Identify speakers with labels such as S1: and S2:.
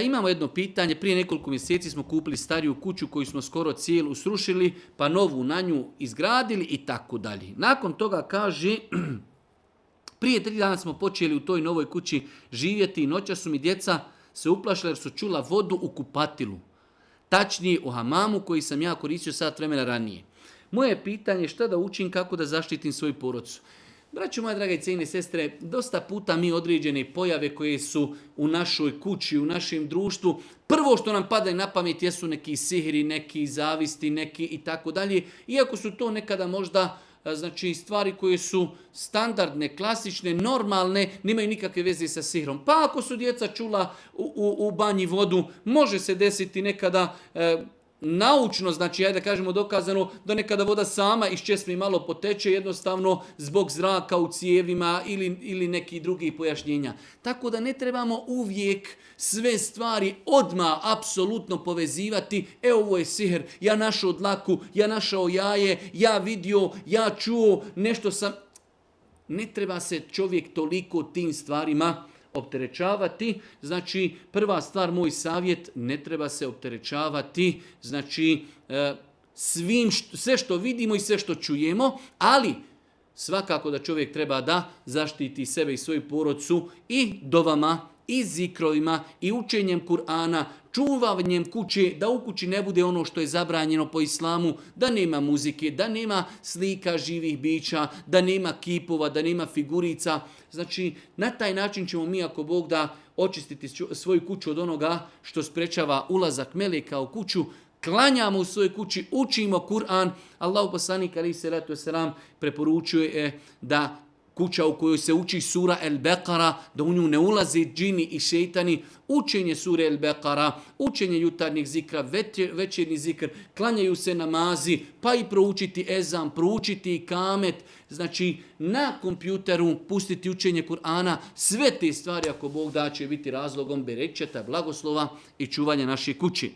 S1: Imamo jedno pitanje, prije nekoliko mjeseci smo kupili stariju kuću koju smo skoro cijelu srušili, pa novu na nju izgradili i tako dalje. Nakon toga kaže, prije 3 dana smo počeli u toj novoj kući živjeti i noća su mi djeca se uplašila jer su čula vodu u kupatilu. Tačnije u hamamu koji sam ja koristio sat vremena ranije. Moje pitanje je šta da učim, kako da zaštitim svoju porodcu. Braćo moja draga i cijene sestre, dosta puta mi određene pojave koje su u našoj kući, u našem društvu, prvo što nam pada na pamet jesu neki sihiri, neki zavisti, neki i tako dalje. Iako su to nekada možda stvari koje su standardne, klasične, normalne, nemaju nikakve veze sa sihrom. Pa ako su djeca čula u banji vodu, može se desiti nekada naučno, ajde da kažemo dokazano, da nekada voda sama iz česme malo poteče, jednostavno zbog zraka u cijevima ili nekih drugih pojašnjenja. Tako da ne trebamo uvijek sve stvari odmah apsolutno povezivati. Ovo je sihr, ja našao dlaku, ja našao jaje, ja vidio, ja čuo, nešto sam... Ne treba se čovjek toliko tim stvarima opterećavati. Prva stvar, moj savjet, ne treba se opterećavati, sve što vidimo i sve što čujemo, ali svakako da čovjek treba da zaštiti sebe i svoju porodcu i dovama, i zikrovima, i učenjem Kur'ana, čuvanjem kuće, da u kući ne bude ono što je zabranjeno po islamu, da nema muzike, da nema slika živih bića, da nema kipova, da nema figurica. Na taj način ćemo mi, ako Bog da, očistiti svoju kuću od onoga što sprečava ulazak meleka u kuću, klanjamo u svojoj kući, učimo Kur'an. Allahu poslanik alejhi selatu vesselam preporučuje da kuća u kojoj se uči sura El-Beqara, da u nju ne ulaze džini i šejtani, učenje sure El-Beqara, učenje jutarnjeg zikra, večernji zikr, klanjaju se namazi, pa i proučiti ezan, proučiti ikamet, na kompjuteru pustiti učenje Kur'ana, sve te stvari, ako Bog da, će biti razlogom bereketa, blagoslova i čuvanja naše kući.